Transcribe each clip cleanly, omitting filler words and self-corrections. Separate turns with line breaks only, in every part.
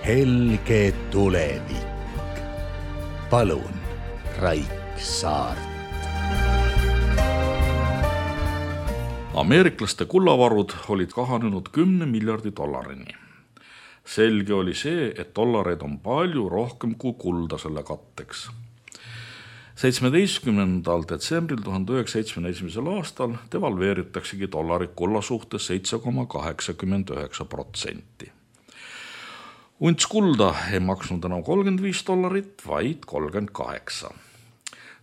helge tulevik. Palun, Raik Saart.
Ameeriklaste kullavarud olid kahanenud 10 miljardi dollarini. Selge oli see, et dollareid on palju rohkem kui kulda selle katteks. 17. detsembril 1971. aastal devalveeritaksegi dollari kulla suhtes 7,89%. Unts kulda ei maksnud enam $35, vaid 38.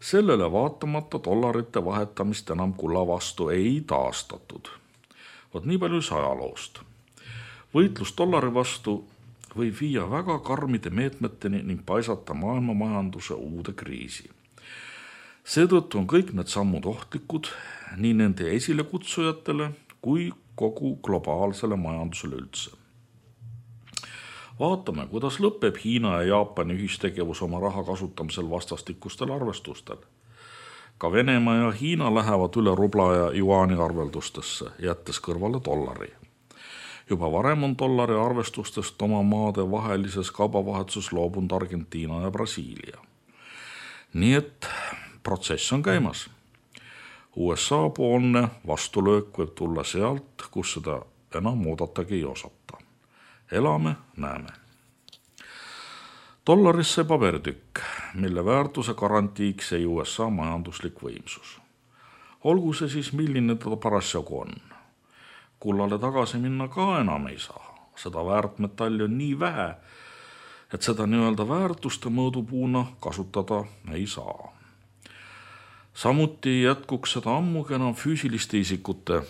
Sellele vaatamata dollarite vahetamist enam kulla vastu ei taastatud. Vot nii palju ajaloost. Võitlus dollari vastu võib viia väga karmide meetmeteni ning paisata maailma majanduse uude kriisi. Seetõttu on kõik need sammud ohtlikud nii nende esilekutsujatele kui kogu globaalsele majandusele üldse. Vaatame, kuidas lõpeb Hiina ja Jaapani ühistegevus oma raha kasutamisel vastastikustel arvestustel. Ka Venemaa ja Hiina lähevad üle rubla ja juaani arveldustesse, jättes kõrvale dollari. Juba varem on dollari arvestustest oma maade vahelises kaubavahetuses loobunud Argentiina ja Brasiilia. Nii et protsess on käimas. USA poolne vastulöök võib tulla sealt, kus seda enam oodatagi ei osata. Elame, näeme. Dollaris see paberitükk, mille väärtuse garantiiks ei USA majanduslik võimsus. Olgu see siis, milline ta parasjagu on. Kullale tagasi minna ka enam ei saa. Seda väärtmetalli on nii vähe, et seda nii-öelda väärtuste mõõdupuuna kasutada ei saa. Samuti jätkuks seda ammugi enam füüsiliste isikute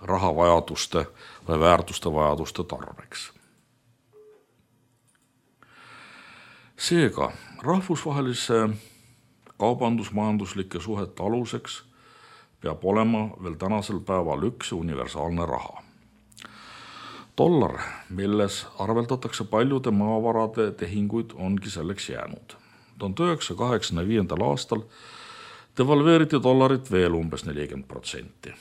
rahavajaduste või väärtuste vajaduste tarbeks. Seega, rahvusvahelise kaubandusmajanduslike suhete aluseks peab olema veel tänasel päeval üks universaalne raha. Dollar, milles arveldatakse paljude maavarade tehinguid, ongi selleks jäänud. 1985. aastal devalveeriti dollarit veel umbes 40%.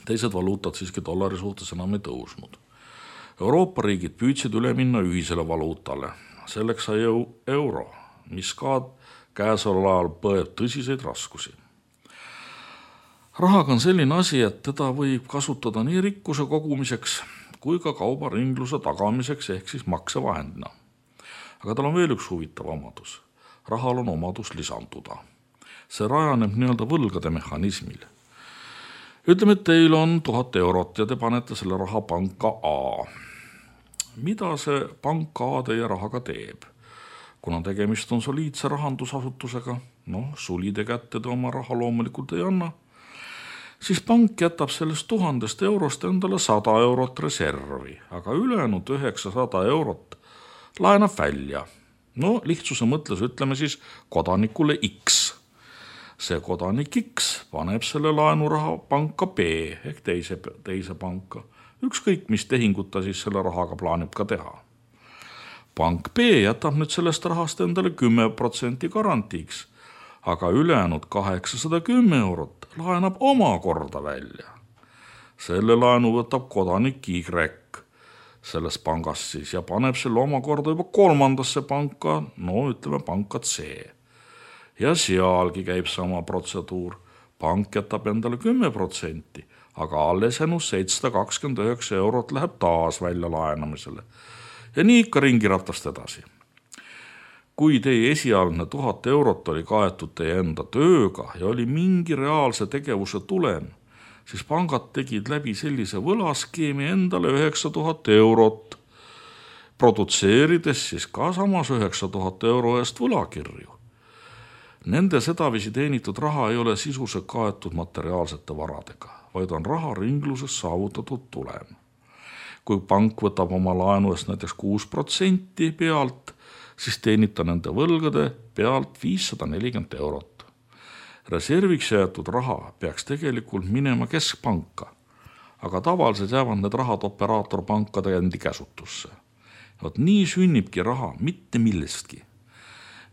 Teised valuutad siiski dollari suhtes enam ei tõusnud. Euroopa riigid püüdsid üle minna ühisele valuutale. Selleks sai euro, mis ka käesoleval ajal põeb tõsiseid raskusi. Rahaga on selline asi, et teda võib kasutada nii rikkuse kogumiseks kui ka kaubaringluse tagamiseks ehk siis maksevahendina. Aga tal on veel üks huvitav omadus. Rahal on omadus lisanduda. See rajaneb nii-öelda võlgade mehhanismil. Ütleme, et teil on 1000 eurot ja te panete selle raha panka A. Mida see pank A teie rahaga teeb? Kuna tegemist on soliidse rahandusasutusega, sulide kätte te oma raha loomulikult ei anna, siis pank jätab sellest 1000 eurost endale 100 eurot reservi, aga ülejäänud 900 eurot laenab välja. Lihtsuse mõtles ütleme siis kodanikule X. See kodanik X paneb selle laenuraha panka B ehk teise panka. Ükskõik, mis tehingut ta siis selle rahaga plaanib ka teha. Pank B jätab nüüd sellest rahast endale 10% garantiiks, aga ülejäänud 810 eurot laenab omakorda välja. Selle laenu võtab kodanik Y sellest pangast siis ja paneb selle omakorda juba 3. panka, ütleme panka C. Ja sealgi käib sama protseduur. Pank jätab endale 10%, aga alles jäänud 729 eurot läheb taas välja laenamisele. Ja nii ikka ringiratast edasi. Kui teie esialgne 1000 eurot oli kaetud teie enda tööga ja oli mingi reaalse tegevuse tulem, siis pangad tegid läbi sellise võlaskeemi endale 9000 eurot, produtseerides siis ka samas 9000 euro eest võlakirju. Nende sedavisi teenitud raha ei ole sisuse kaetud materiaalsete varadega, vaid on raha ringluses saavutatud tulem. Kui pank võtab oma laenu eest näiteks 6% pealt, siis teenib ta nende võlgade pealt 540 eurot. Reserviks jäetud raha peaks tegelikult minema keskpanka, aga tavaliselt jäävad need rahad operaatorpankade endi käsutusse. Vot nii sünnibki raha mitte millestki.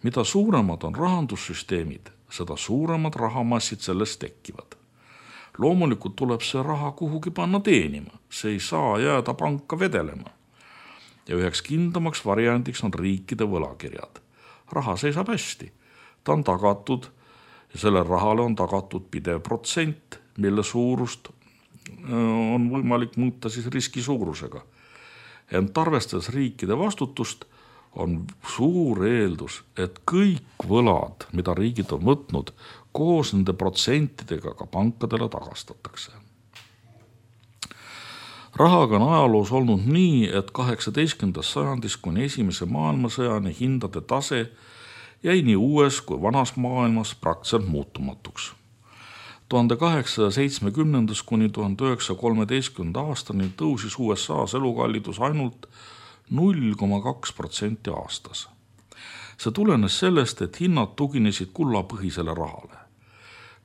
Mida suuremad on rahandussüsteemid, seda suuremad rahamassid sellest tekivad. Loomulikult tuleb see raha kuhugi panna teenima, see ei saa jääda panka vedelema. ja üheks kindlamaks variandiks on riikide võlakirjad. Raha seisab hästi, ta on tagatud ja sellele rahale on tagatud pidev protsent, mille suurust on võimalik muuta siis riski suurusega. Ent arvestades riikide vastutust, on suur eeldus, et kõik võlad, mida riigid on võtnud, koos nende protsentidega ka pankadele tagastatakse. Rahaga on ajaloos olnud nii, et 18. sajandis kuni esimese maailmasõjani hindade tase jäi nii uues kui vanas maailmas praktiliselt muutumatuks. 1870 kuni 1913 aastani tõusis USA-s elukallidus ainult 0,2% aastas. See tulenes sellest, et hinnad tuginesid kullapõhisele rahale.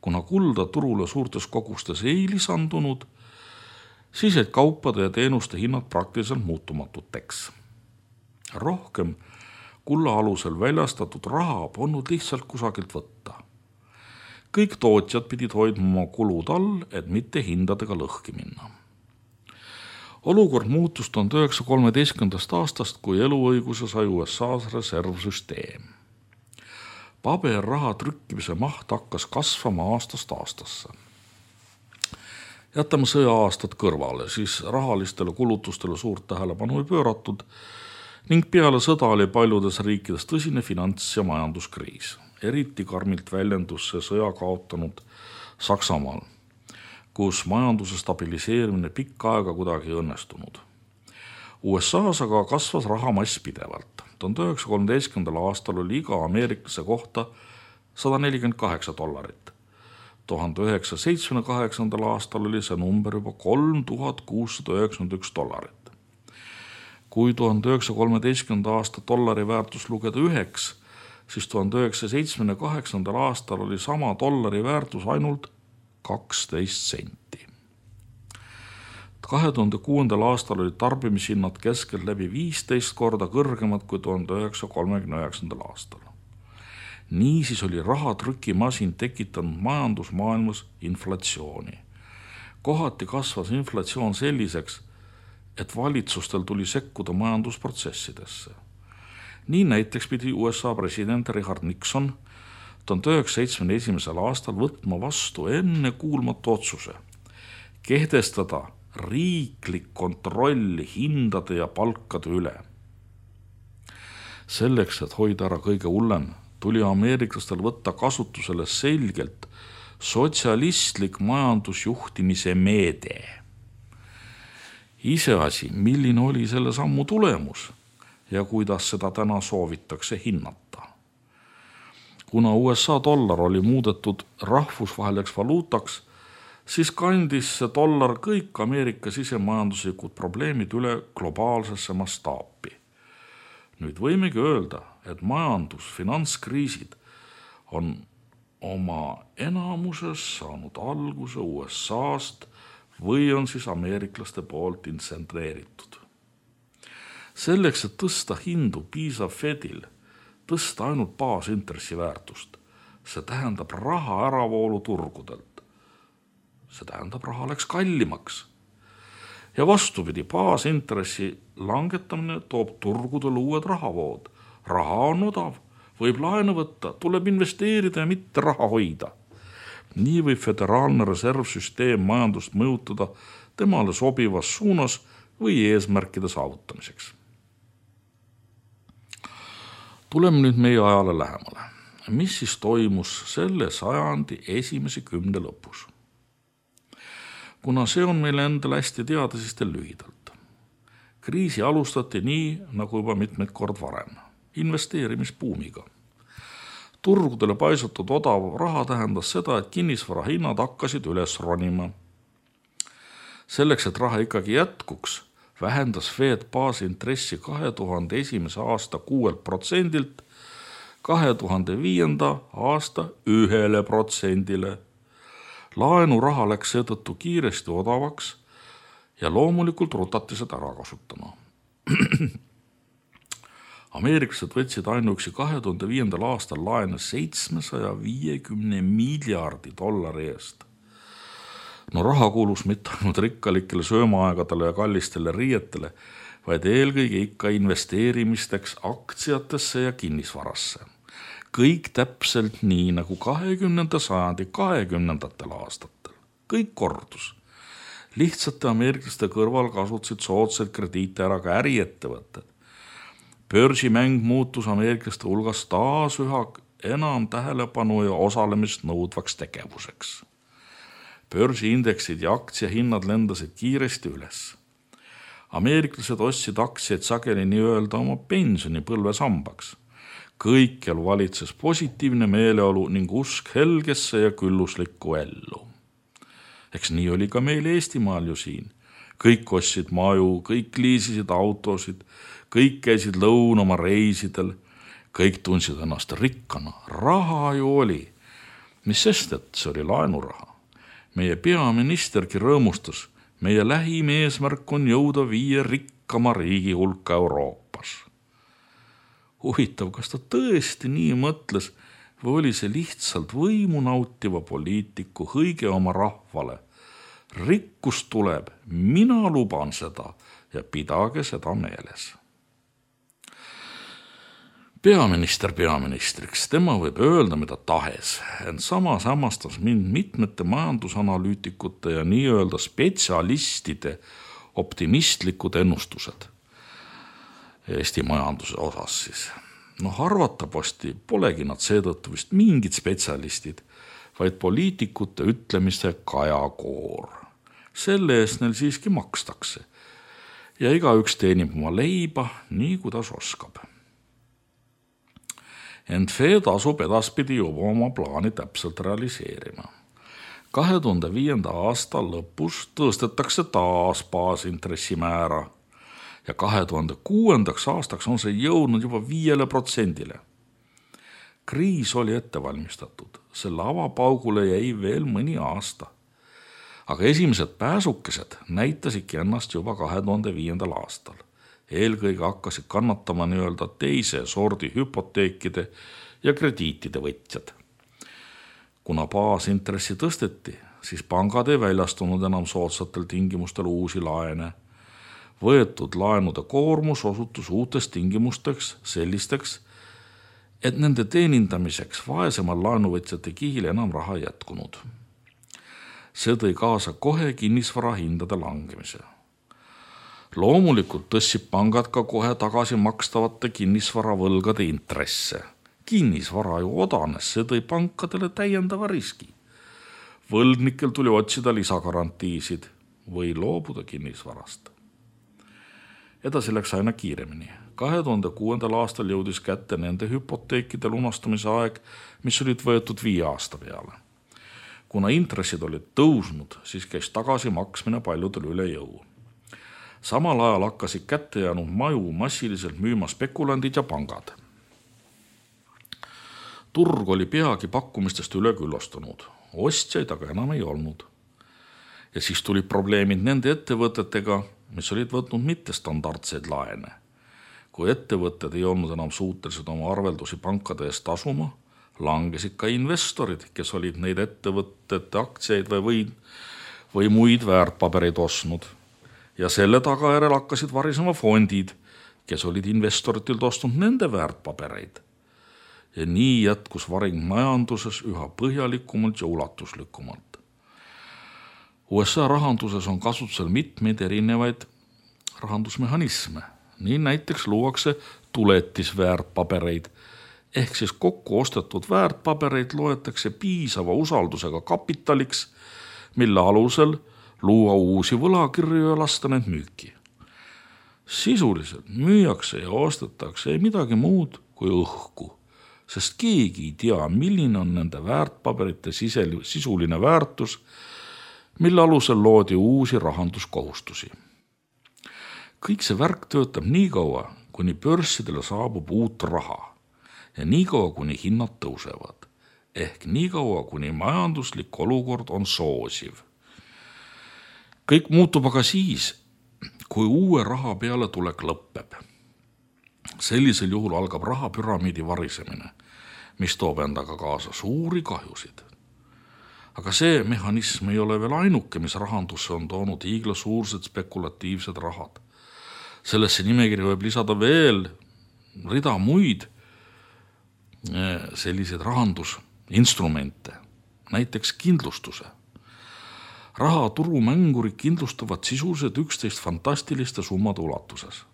Kuna kulda turule suurtes kogustes ei lisandunud, siis jäid kaupade ja teenuste hinnad praktiliselt muutumatuteks. Rohkem kulla alusel väljastatud raha polnud lihtsalt kusagilt võtta. Kõik tootjad pidid hoidma oma kulud all, et mitte hindadega lõhki minna. Olukord muutus 1913. aastast, kui eluõiguse sai USA-s reservsüsteem. Paberraha trükkimise maht hakkas kasvama aastast aastasse. Jätame sõja-aastad kõrvale, siis rahalistele kulutustele suurt tähelepanu ei pööratud ning peale sõda oli paljudes riikides tõsine finants- ja majanduskriis. Eriti karmilt väljendus see sõja kaotanud Saksamaal, kus majanduse stabiliseerimine pikka aega kuidagi ei õnnestunud. USA-s aga kasvas rahamass pidevalt. 1913. aastal oli iga ameeriklase kohta $148. 1978. aastal oli see number juba $3691. Kui 1913. aasta dollari väärtus lugeda 9, siis 1978. aastal oli sama dollari väärtus ainult 12 senti. 2006. aastal oli tarbimishinnad keskeltläbi 15 korda kõrgemad kui 1939. aastal. Niisiis oli rahatrükimasin tekitanud majandusmaailmas inflatsiooni. Kohati kasvas inflatsioon selliseks, et valitsustel tuli sekkuda majandusprotsessidesse. Nii näiteks pidi USA president Richard Nixon 1971. aastal võtma vastu ennekuulmatu otsuse kehtestada riiklik kontroll hindade ja palkade üle. Selleks, et hoida ära kõige hullem, tuli ameeriklastel võtta kasutusele selgelt sotsialistlik majandusjuhtimise meede. Iseasi, milline oli selle sammu tulemus ja kuidas seda täna soovitakse hinnata. Kuna USA dollar oli muudetud rahvusvaheliseks valuutaks, siis kandis see dollar kõik Ameerika sisemajanduslikud probleemid üle globaalsesse mastaapi. Nüüd võimegi öelda, et finantskriisid on oma enamuses saanud alguse USA-st või on siis ameeriklaste poolt intsentreeritud. Selleks, et tõsta hindu, piisab Fedil tõsta ainult baasintressi väärtust. See tähendab raha äravoolu turgudelt. See tähendab, raha läks kallimaks. Ja vastupidi, baasintressi langetamine toob turgudele uued rahavood. Raha on odav, võib laenu võtta, tuleb investeerida ja mitte raha hoida. Nii võib föderaalne reservsüsteem majandust mõjutada temale sobivas suunas või eesmärkide saavutamiseks. Tuleme nüüd meie ajale lähemale. Mis siis toimus selle sajandi esimese 10 lõpus? Kuna see on meile endale hästi teada, siis teil lühidalt. Kriisi alustati nii, nagu juba mitmeid kord varem, investeerimisbuumiga. Turgudele paisutud odav raha tähendas seda, et kinnisvara hinnad hakkasid üles ronima. Selleks, et raha ikkagi jätkuks, vähendas Fed baasintressi 2001. aasta 6%-lt 2005. aasta 1%-le. Laenuraha läks seetõttu kiiresti odavaks ja loomulikult rutati seda ära kasutama. Ameeriklased võtsid ainuüksi 2005. aastal laene 750 miljardi dollari eest. No raha kuulus mitte ainult rikkalikele söömaaegadele ja kallistele riietele, vaid eelkõige ikka investeerimisteks aktsiatesse ja kinnisvarasse. Kõik täpselt nii nagu 20. sajandi 20. aastatel. Kõik kordus. Lihtsate ameeriklaste kõrval kasutasid soodsaid krediite ära ka äriettevõtted. Börsimäng muutus ameeriklaste hulgas taas üha enam tähelepanu ja osalemist nõudvaks tegevuseks. Börsiindeksid ja aktsiahinnad lendasid kiiresti üles. Ameeriklased ostsid aktsiaid sageli nii-öelda oma pensionipõlve sambaks. Kõikjal valitses positiivne meeleolu ning usk helgesse ja külluslikku ellu. Eks nii oli ka meil Eestimaal ju siin. Kõik ostsid maju, kõik liisisid autosid, kõik käisid lõunama reisidel, kõik tundsid ennast rikkana. Raha ju oli. Mis sest, et see oli laenuraha. Meie peaministergi rõõmustas. Meie lähim eesmärk on jõuda 5 rikkama riigi hulka Euroopas. Huvitav, kas ta tõesti nii mõtles või oli see lihtsalt võimu nautiva poliitiku hõige oma rahvale? Rikkus tuleb, mina luban seda ja pidage seda meeles. Peaminister peaministriks, tema võib öelda mida tahes, ent samas hämmastas mind mitmete majandusanalüütikute ja nii-öelda spetsialistide optimistlikud ennustused Eesti majanduse osas siis. Arvatavasti polegi nad seetõttu vist mingid spetsialistid, vaid poliitikute ütlemise kajakoor. Selle eest neil siiski makstakse ja igaüks teenib oma leiba nii, kuidas oskab. Ent Fed asub edaspidi juba oma plaani täpselt realiseerima. 2005. aasta lõpus tõstetakse taas baasintressimäära ja 2006. aastaks on see jõudnud juba 5%. Kriis oli ette valmistatud, selle avapaugule jäi veel mõni aasta. Aga esimesed pääsukesed näitasidki ennast juba 2005. aastal. Eelkõige hakkasid kannatama nii-öelda teise sordi hüpoteekide ja krediitide võtjad. Kuna baasintressi tõsteti, siis pangad ei väljastunud enam soodsatel tingimustel uusi laene. Võetud laenude koormus osutus uutes tingimusteks sellisteks, et nende teenindamiseks vaesemal laenuvõtjate kihil enam raha jätkunud. See tõi kaasa kohe kinnisvara hindade langemise. Loomulikult tõstsib pangad ka kohe tagasi makstavate kinnisvaravõlgade intresse. Kinnisvara ju odanes, see tõi pankadele täiendava riski. Võlgnikel tuli otsida lisagarantiisid või loobuda kinnisvarast. Edasi läks aina kiiremini. 2006. aastal jõudis kätte nende hüpoteekide lunastamise aeg, mis olid võetud 5 aasta peale. Kuna intressid olid tõusnud, siis käis tagasi maksmine paljudel üle jõu. Samal ajal hakkasid kätte jäänud maju massiliselt müüma spekulandid ja pangad. Turg oli peagi pakkumistest üleküllastunud, ostjaid aga enam ei olnud. Ja siis tuli probleemid nende ettevõtetega, mis olid võtnud mittestandardseid laene. Kui ettevõtted ei olnud enam suutelised oma arveldusi pankade eest tasuma, langesid ka investorid, kes olid neid ettevõtete aktsiaid või muid väärtpabereid ostnud. Ja selle tagajärjel hakkasid varisema fondid, kes olid investoritilt ostnud nende väärtpabereid. Ja nii jätkus varing majanduses üha põhjalikumalt ja ulatuslikumalt. USA rahanduses on kasutusel mitmeid erinevaid rahandusmehhanisme. Nii näiteks luuakse tuletisväärtpabereid, ehk siis kokku ostetud väärtpabereid loetakse piisava usaldusega kapitaliks, mille alusel luua uusi võlakirju ja lasta need müüki. Sisuliselt müüakse ja ostetakse ei midagi muud kui õhku, sest keegi ei tea, milline on nende väärtpaberite sisuline väärtus, mille alusel loodi uusi rahanduskohustusi. Kõik see värk töötab nii kaua, kuni börssidele saabub uut raha ja nii kaua, kuni hinnad tõusevad, ehk nii kaua, kuni majanduslik olukord on soosiv. Kõik muutub aga siis, kui uue raha peale tulek lõppeb. Sellisel juhul algab rahapüramiidi varisemine, mis toob endaga kaasa suuri kahjusid. Aga see mehhanism ei ole veel ainuke, mis rahandusse on toonud hiiglasuursed spekulatiivsed rahad. Sellesse nimekirja võib lisada veel rida muid selliseid rahandusinstrumente, näiteks kindlustuse. Rahaturumängurid kindlustavad sisuliselt 11 fantastiliste summade ulatuses.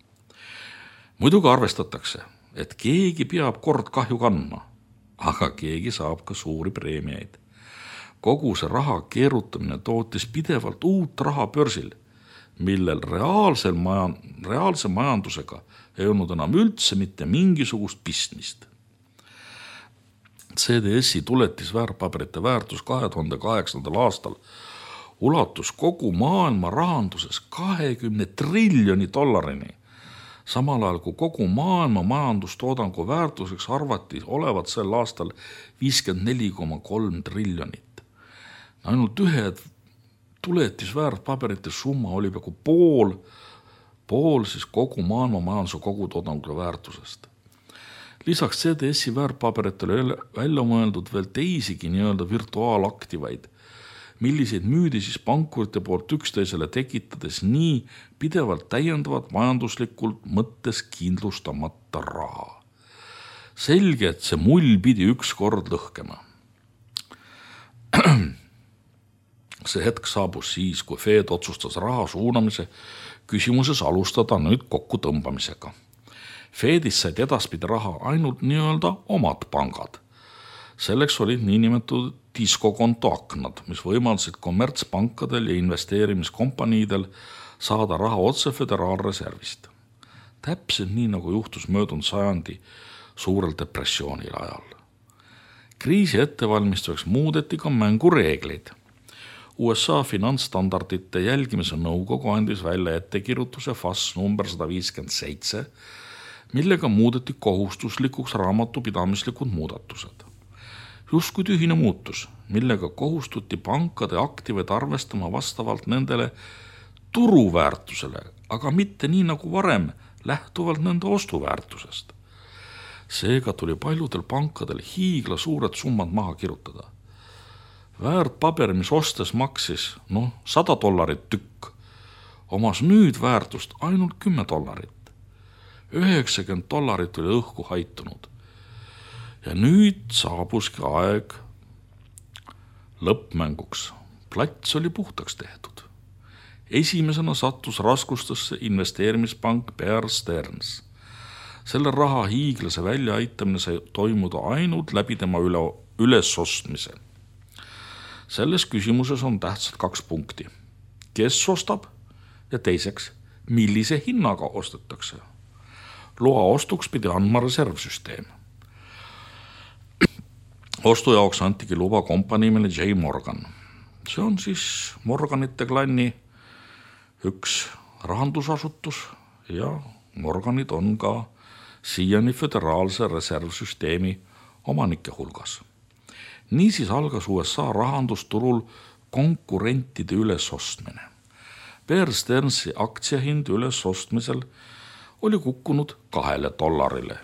Muidugi arvestatakse, et keegi peab kord kahju kandma, aga keegi saab ka suuri preemiaid. Kogu see raha keerutamine tootis pidevalt uut raha börsil, millel reaalse majandusega ei olnud enam üldse mitte mingisugust pistmist. CDS-i tuletisväärtpaberite väärtus 2008. aastal ulatus kogu maailma rahanduses 20 triljoni dollarini, samal ajal kui kogu maailma majandustoodangu väärtuseks arvati olevat sel aastal 54,3 triljonit. Ainult ühe tuletisväärtpaberite summa oli peaaegu pool siis kogu maailma majanduse kogutoodangu väärtusest. Lisaks CDS-i väärtpaberitele välja mõeldud veel teisigi nii-öelda virtuaalaktivaid, milliseid müüdi siis pankurite poolt üksteisele tekitades nii pidevalt täiendavat majanduslikult mõttes kindlustamata raha. Selge, et see mull pidi ükskord lõhkema. See hetk saabus siis, kui Fed otsustas raha suunamise küsimuses alustada nüüd kokku tõmbamisega. Fedis said edaspidi raha ainult nii-öelda omad pangad. Selleks olid niinimetatud diskokonto aknad, mis võimaldasid kommertspankadel ja investeerimiskompaniidel saada raha otse föderaalreservist. Täpselt nii, nagu juhtus möödunud sajandi suurel depressioonil ajal. Kriisi ettevalmistuseks muudeti ka mängureegleid. USA finantsstandardite jälgimise nõukogu andis välja ettekirjutuse FAS number 157, millega muudeti kohustuslikuks raamatupidamislikud muudatused. Justkui tühine muutus, millega kohustuti pankade aktiveid arvestama vastavalt nendele turuväärtusele, aga mitte nii nagu varem, lähtuvalt nende ostuväärtusest. Seega tuli paljudel pankadel hiigla suured summad maha kirjutada. Väärtpaber, mis ostes maksis $100 tükk, omas nüüd väärtust ainult $10. $90 oli õhku haitunud. Ja nüüd saabuski aeg lõppmänguks. Plats oli puhtaks tehtud. Esimesena sattus raskustesse investeerimispank Bear Stearns. Selle raha hiiglase väljaaitamine sai toimuda ainult läbi tema ülesostmise. Selles küsimuses on tähtsad 2 punkti. Kes ostab ja teiseks, millise hinnaga ostetakse. Loa ostuks pidi andma reservsüsteem. Ostu jaoks antigi luba kompaniimele J. Morgan. See on siis Morganite klanni üks rahandusasutus ja Morganid on ka siiani föderaalse reservsüsteemi omanike hulgas. Niisiis algas USA rahandusturul konkurentide ülesostmine. Bear Stearnsi aktsiahind ülesostmisel oli kukkunud $2,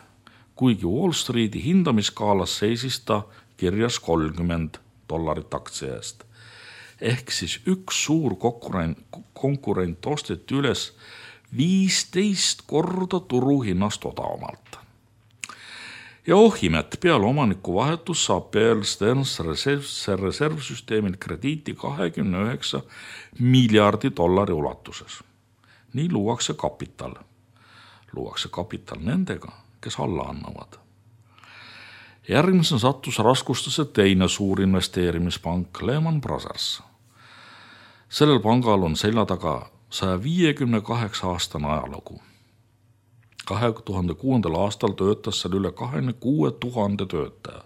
kuigi Wall Streeti hindamiskaalas seisis ta kirjas $30 aktsia eest. Ehk siis üks suur konkurent osteti üles 15 korda turuhinnast odavamalt. Ja imet, peale omaniku vahetus saab Bear Stearns reservsüsteemil krediiti $29 miljardi ulatuses. Nii luuakse kapital. Luuakse kapital nendega, kes alla annavad. Järgmisena sattus raskustesse teine suur investeerimispank Lehman Brothers. Sellel pangal on selja taga 158 aastane ajalugu. 2006. aastal töötas seal üle 26 000 töötaja.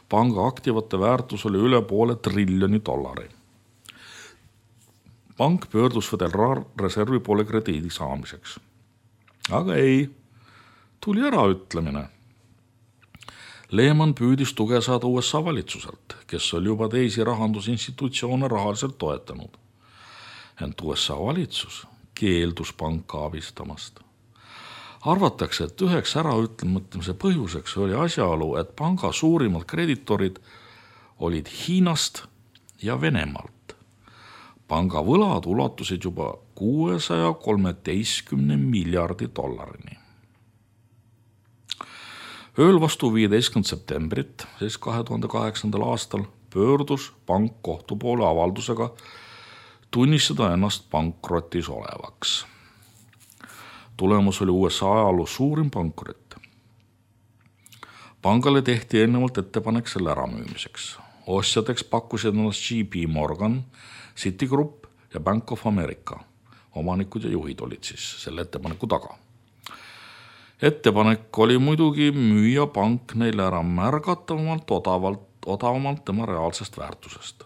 Panga aktivate väärtus oli üle $500 triljoni. Pank pöördus Föderaalreservi poole krediidi saamiseks. Aga ei, tuli äraütlemine. Lehman püüdis tuge saada USA valitsuselt, kes oli juba teisi rahandusinstitutsioone rahaliselt toetanud. Ent USA valitsus keeldus panka abistamast. Arvatakse, et üheks äraütlemõtlemise põhjuseks oli asjaolu, et panga suurimad kreditorid olid Hiinast ja Venemaalt. Panga võlad ulatusid juba 613 miljardi dollarini. Ööl vastu 15. septembrit, siis 2008. aastal, pöördus pank kohtu poole avaldusega tunnistada ennast pankrotis olevaks. Tulemus oli USA ajaloo suurim pankrot. Pangale tehti eelnevalt ettepanek selle äramüümiseks. Ostjateks pakkusid ennast JP Morgan, Citigroup ja Bank of America. Omanikud ja juhid olid siis selle ettepaneku taga. Ettepanek oli muidugi müüa pank neile ära märgatavamalt odavamalt tema reaalsest väärtusest.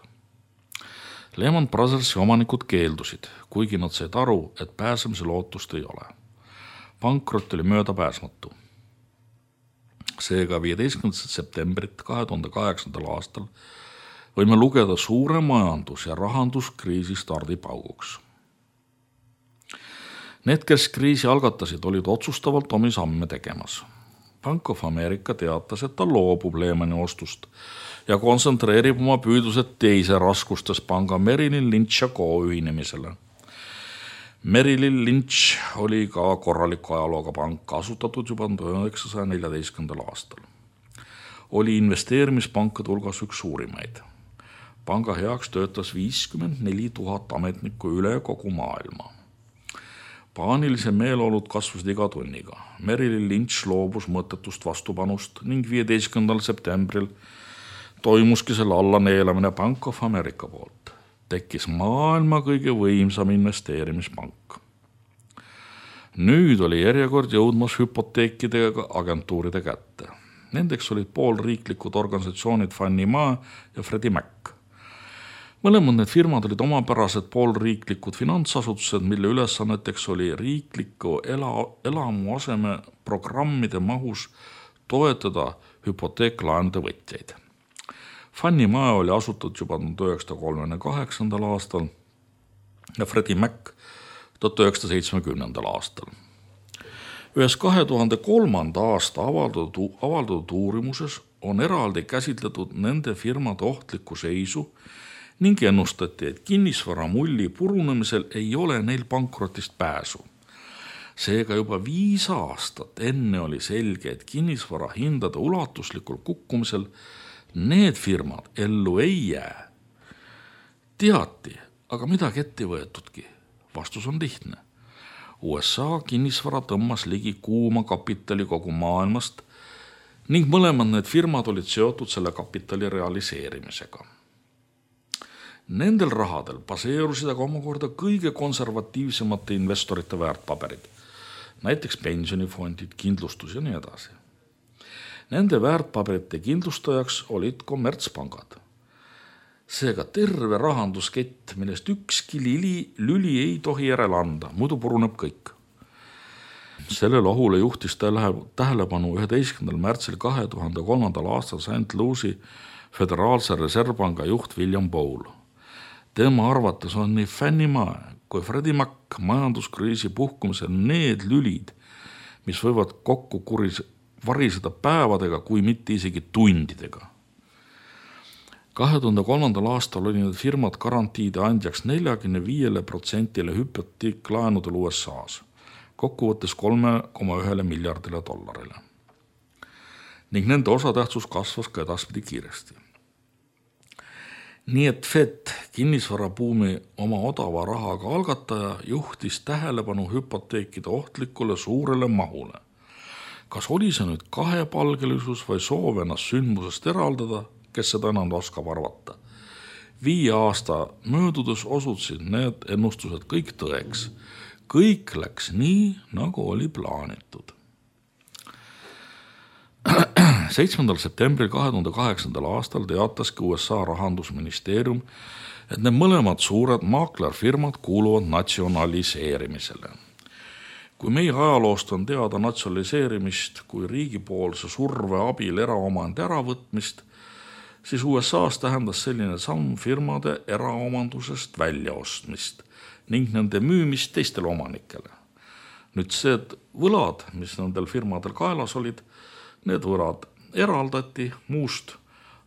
Lehman Brothersi omanikud keeldusid, kuigi nad said aru, et pääsemise lootust ei ole. Pankrot oli möödapääsmatu. Seega 15. septembrit 2008. aastal võime lugeda suure majandus- ja rahanduskriisi stardipauguks. Need, kes kriisi algatasid, olid otsustavalt omi samme tegemas. Bank of America teatas, et ta loobub Lehmani ostust ja kontsentreerib oma püüdlused teise raskustes panga Merrill Lynch & Co ühinemisele. Merrill Lynch oli ka korraliku ajalooga pank, asutatud juba 1914. aastal. Oli investeerimispankade hulgas üks suurimaid. Panga heaks töötas 54 000 ametnikku üle kogu maailma. Paanilise meeleolud kasvasid iga tunniga. Merrill Lynch loobus mõttetust vastupanust ning 15. septembril toimuski selle allaneelamine Bank of America poolt. Tekkis maailma kõige võimsam investeerimispank. Nüüd oli järjekord jõudmas hüpoteekidega agentuuride kätte. Nendeks olid poolriiklikud organisatsioonid Fannie Mae ja Freddie Mac. Mõlemad need firmad olid omapärased poolriiklikud finantsasutused, mille ülesanneteks oli riikliku elamuaseme programmide mahus toetada hüpoteeklaenude võtjaid. Fannie Mae oli asutatud juba 1938. aastal ja Freddie Mac 1970. aastal. Ühes 2003. aasta avaldatud uurimuses on eraldi käsitletud nende firmade ohtlikku seisu ning ennustati, et kinnisvaramulli purunemisel ei ole neil pankrotist pääsu. Seega juba 5 aastat enne oli selge, et kinnisvara hindade ulatuslikul kukkumisel need firmad ellu ei jää. Teati, aga midagi ette võetudki. Vastus on lihtne. USA kinnisvara tõmmas ligi kuuma kapitali kogu maailmast ning mõlemad need firmad olid seotud selle kapitali realiseerimisega. Nendel rahadel baseerusid aga omakorda kõige konservatiivsemate investorite väärtpaberid, näiteks pensionifondid, kindlustus ja nii edasi. Nende väärtpaberite kindlustajaks olid kommertspangad. Seega terve rahanduskett, millest ükski lüli ei tohi järele anda, muidu puruneb kõik. Sellele ohule juhtis tähelepanu 11. märtsil 2003. aastal St. Louis'i Föderaalse Reservpanga juht William Bowl. Tema arvates on nii Fannie Mae kui Freddie Mac majanduskriisi puhkumisel need lülid, mis võivad kokku variseda päevadega, kui mitte isegi tundidega. 2003. aastal oli need firmad garantiide andjaks 45% hüpoteeklaenudel USA's, kokkuvõttes 3,1 miljardile dollarile. Ning nende osatähtsus kasvas ka edaspidi kiiresti. Nii et Fed, kinnisvarabuumi oma odava rahaga algataja, juhtis tähelepanu hüpoteekide ohtlikule suurele mahule. Kas oli see nüüd kahepalgelisus või soov ennast sündmusest eraldada, kes seda enam oskab arvata? 5 aasta möödudes osutusid need ennustused kõik tõeks. Kõik läks nii, nagu oli plaanitud. 7. septembril 2008. aastal teataski USA rahandusministeerium, et need mõlemad suured maaklerfirmad kuuluvad natsionaliseerimisele. Kui meie ajaloost on teada natsionaliseerimist kui riigipoolse surve abil eraomandi äravõtmist, siis USA's tähendas selline samm firmade eraomandusest väljaostmist ning nende müümist teistele omanikele. Nüüd see võlad, mis nendel firmadel kaelas olid, need võlad eraldati muust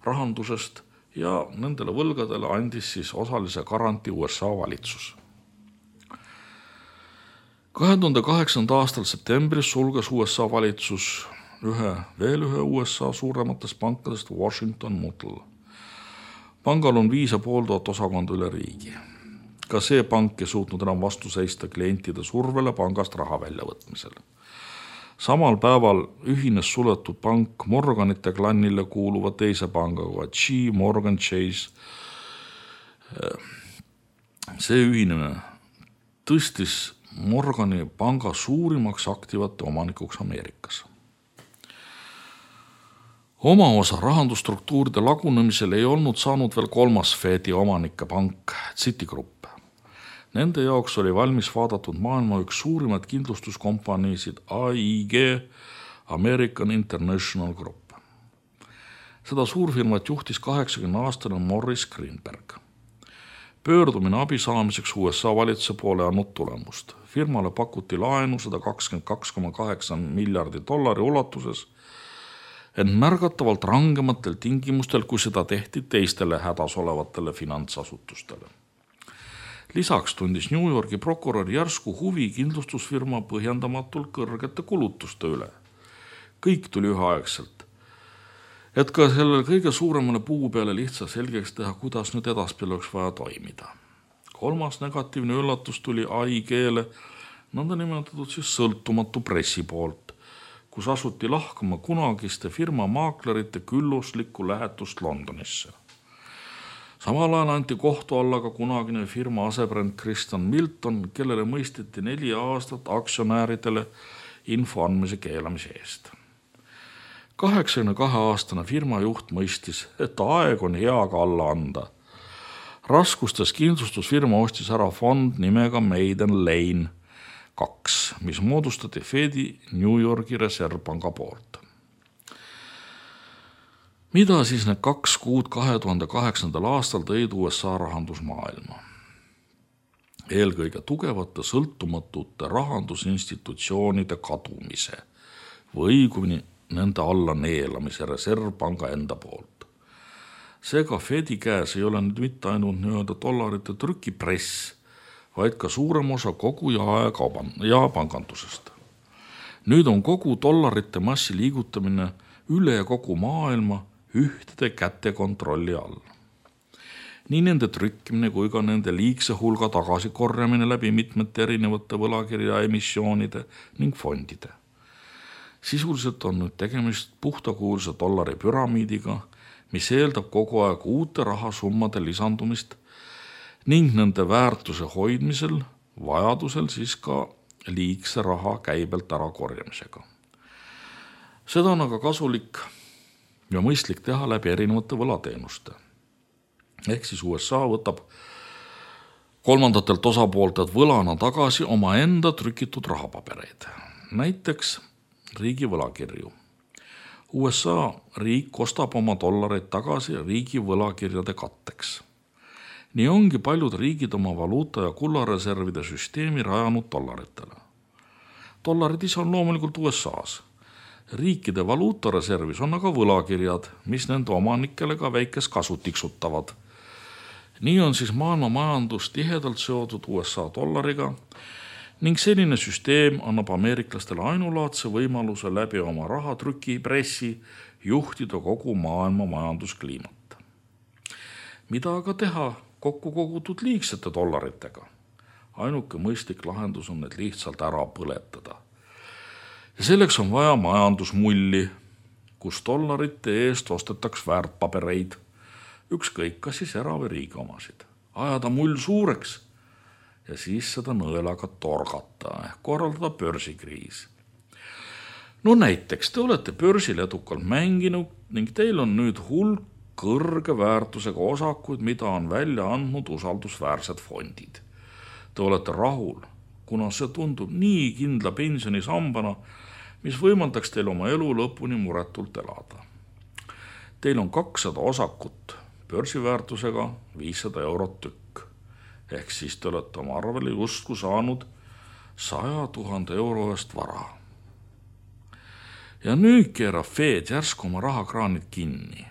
rahandusest ja nendele võlgadele andis siis osalise garantii USA valitsus. 2008. aastal septembris sulges USA valitsus veel ühe USA suurematest pankadest Washington Mutual. Pangal on 5500 osakonda üle riigi. Ka see pank ei suutnud enam vastu seista klientide survele pangast raha väljavõtmisel. Samal päeval ühines suletud pank Morganite klannile kuuluva teise pangaga G. Morgan Chase. See ühinemine tõstis Morgani panga suurimaks aktivate omanikuks Ameerikas. Oma osa rahandusstruktuuride lagunemisel ei olnud saanud veel kolmas Fedi omanike pank Citigroup. Nende jaoks oli valmis vaadatud maailma üks suurimaid kindlustuskompaniisid AIG, American International Group. Seda suurfirmat juhtis 80-aastane Morris Greenberg. Pöördumine abi saamiseks USA valitsuse poole andnud tulemust. Firmale pakuti laenu $122,8 miljardi ulatuses, ent märgatavalt rangematel tingimustel, kui seda tehti teistele hädas olevatele finantsasutustele. Lisaks tundis New Yorgi prokurör järsku huvi kindlustusfirma põhjendamatult kõrgete kulutuste üle. Kõik tuli üheaegselt, et ka sellele kõige suuremale puu peale lihtsalt selgeks teha, kuidas nüüd edaspidi oleks vaja toimida. Kolmas negatiivne üllatus tuli AIG-le nõndanimetatud siis sõltumatu pressi poolt, kus asuti lahkama kunagiste firma maaklerite külluslikku lähetust Londonisse. Samal ajal anti kohtu alla ka kunagine firma asebrand Christian Milton, kellele mõisteti 4 aastat aktsionääridele info andmise keelamise eest. 82-aastane firma juht mõistis, et aeg on heaga alla anda. Raskustes kindlustusfirma ostis ära fond nimega Maiden Lane 2, mis moodustati Fedi New Yorgi reservpanga poolt. Mida siis need 2 kuud 2008. aastal tõid USA rahandusmaailma? Eelkõige tugevate sõltumatute rahandusinstitutsioonide kadumise või kuni nende alla neelamise reservpanga enda poolt. Seega Fedi käes ei ole nüüd mitte ainult nii-öelda dollarite trükipress, vaid ka suurem osa kogu jaepangandusest. Nüüd on kogu dollarite massi liigutamine üle kogu maailma ühtede käte kontrolli all. Nii nende trükkimine kui ka nende liigse hulga tagasikorjamine läbi mitmete erinevate võlakirja emissioonide ning fondide. Sisuliselt on nüüd tegemist puhtakuulsa dollari püramiidiga, mis eeldab kogu aeg uute rahasummade lisandumist ning nende väärtuse hoidmisel, vajadusel siis ka liigse raha käibelt ära korjamisega. Seda on aga kasulik ja mõistlik teha läbi erinevate võlateenuste. Ehk siis USA võtab kolmandatelt osapooltelt võlana tagasi omaenda trükitud rahapabereid, näiteks riigi võlakirju. USA riik ostab oma dollareid tagasi riigi võlakirjade katteks. Nii ongi paljud riigid oma valuuta- ja kullareservide süsteemi rajanud dollaritele. Dollarid ise on loomulikult USA's. Riikide valuutareservis on aga võlakirjad, mis nende omanikele ka väikest kasu tiksutavad. Nii on siis maailma majandus tihedalt seotud USA dollariga ning selline süsteem annab ameeriklastele ainulaadse võimaluse läbi oma rahatrüki pressi juhtida kogu maailma majanduskliimat. Mida aga teha kokku kogutud liigsete dollaritega? Ainuke mõistlik lahendus on need lihtsalt ära põletada. Ja selleks on vaja majandusmulli, kus dollarite eest ostetaks väärtpabereid, ükskõik kas siis era- või riigi omasid. Ajada mull suureks ja siis seda nõelaga torgata ehk korraldada börsikriis. No näiteks te olete börsil edukalt mänginud ning teil on nüüd hulk kõrge väärtusega osakuid, mida on välja andnud usaldusväärsed fondid. Te olete rahul, kuna see tundub nii kindla pensionisambana, mis võimaldaks teil oma elu lõpuni muretult elada. Teil on 200 osakut börsiväärtusega 500 eurot tükk. Ehk siis te olete oma arvele justkui saanud 100 000 euro eest vara. Ja nüüd keerab Fed järsku oma rahakraanid kinni.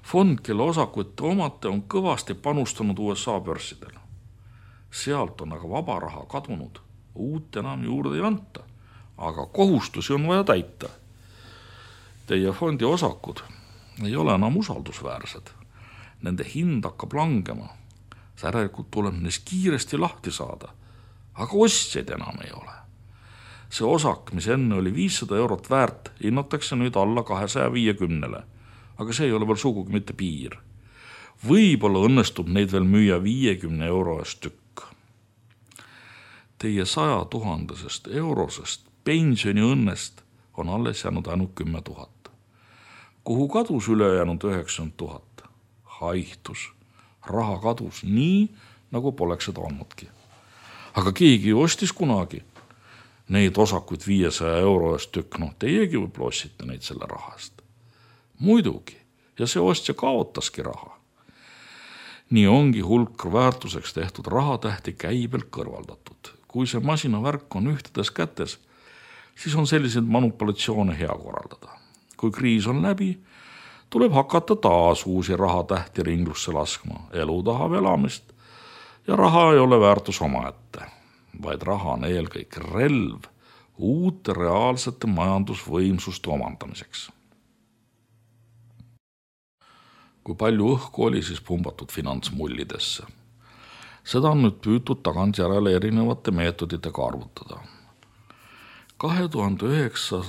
Fond, kelle osakuid te omate, on kõvasti panustanud USA börsidele. Sealt on aga vaba raha kadunud, uut enam juurde ei anta, aga kohustusi on vaja täita. Teie fondi osakud ei ole enam usaldusväärsed. Nende hind hakkab langema. Järelikult tuleb neist kiiresti lahti saada, aga ostjaid enam ei ole. See osak, mis enne oli 500 eurot väärt, hinnatakse nüüd alla 250, aga see ei ole veel sugugi mitte piir. Võib-olla õnnestub neid veel müüa 50 euro eest tükk. Teie 100 000 eurosest pensioniõnnest on alles jäänud ainult 10 000. Kuhu kadus ülejäänud 90 000? Haihtus. Raha kadus nii, nagu poleks seda olnudki. Aga keegi ostis kunagi neid osakuid 500 euro eest tükk, teiegi võib ossite neid selle rahast. Muidugi, ja see ostja kaotaski raha. Nii ongi hulk väärtuseks tehtud rahatähti käibelt kõrvaldatud. Kui see masinavärk on ühtedes kätes, siis on selliseid manipulatsioone hea korraldada. Kui kriis on läbi, tuleb hakata taas uusi rahatähti ringlusse laskma, elu tahab elamist ja raha ei ole väärtus omaette, vaid raha on eelkõik relv uute reaalsete majandusvõimsuste omandamiseks. Kui palju õhku oli siis pumbatud finantsmullidesse? Seda on nüüd püütud tagantjärele erinevate meetoditega arvutada. 2009.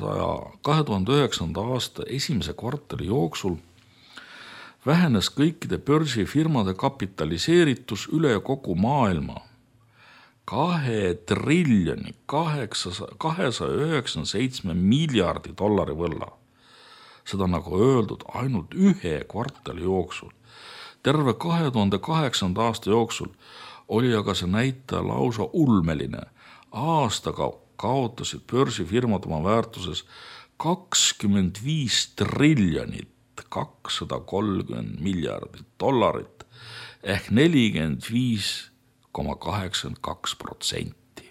aasta esimese kvartali jooksul vähenes kõikide börsifirmade kapitaliseeritus üle kogu maailma 2 triljoni 297 miljardi dollari võlla. Seda nagu öeldud ainult ühe kvartali jooksul. Terve 2008. aasta jooksul oli aga see näitaja lausa ulmeline. Aastaga kaotasid börsifirmad oma väärtuses 25 triljonit 230 miljardit dollarit ehk 45,82%.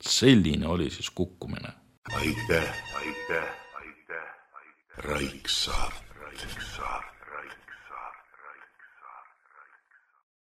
Selline oli siis kukkumine.
Aitäh, Raik Saart.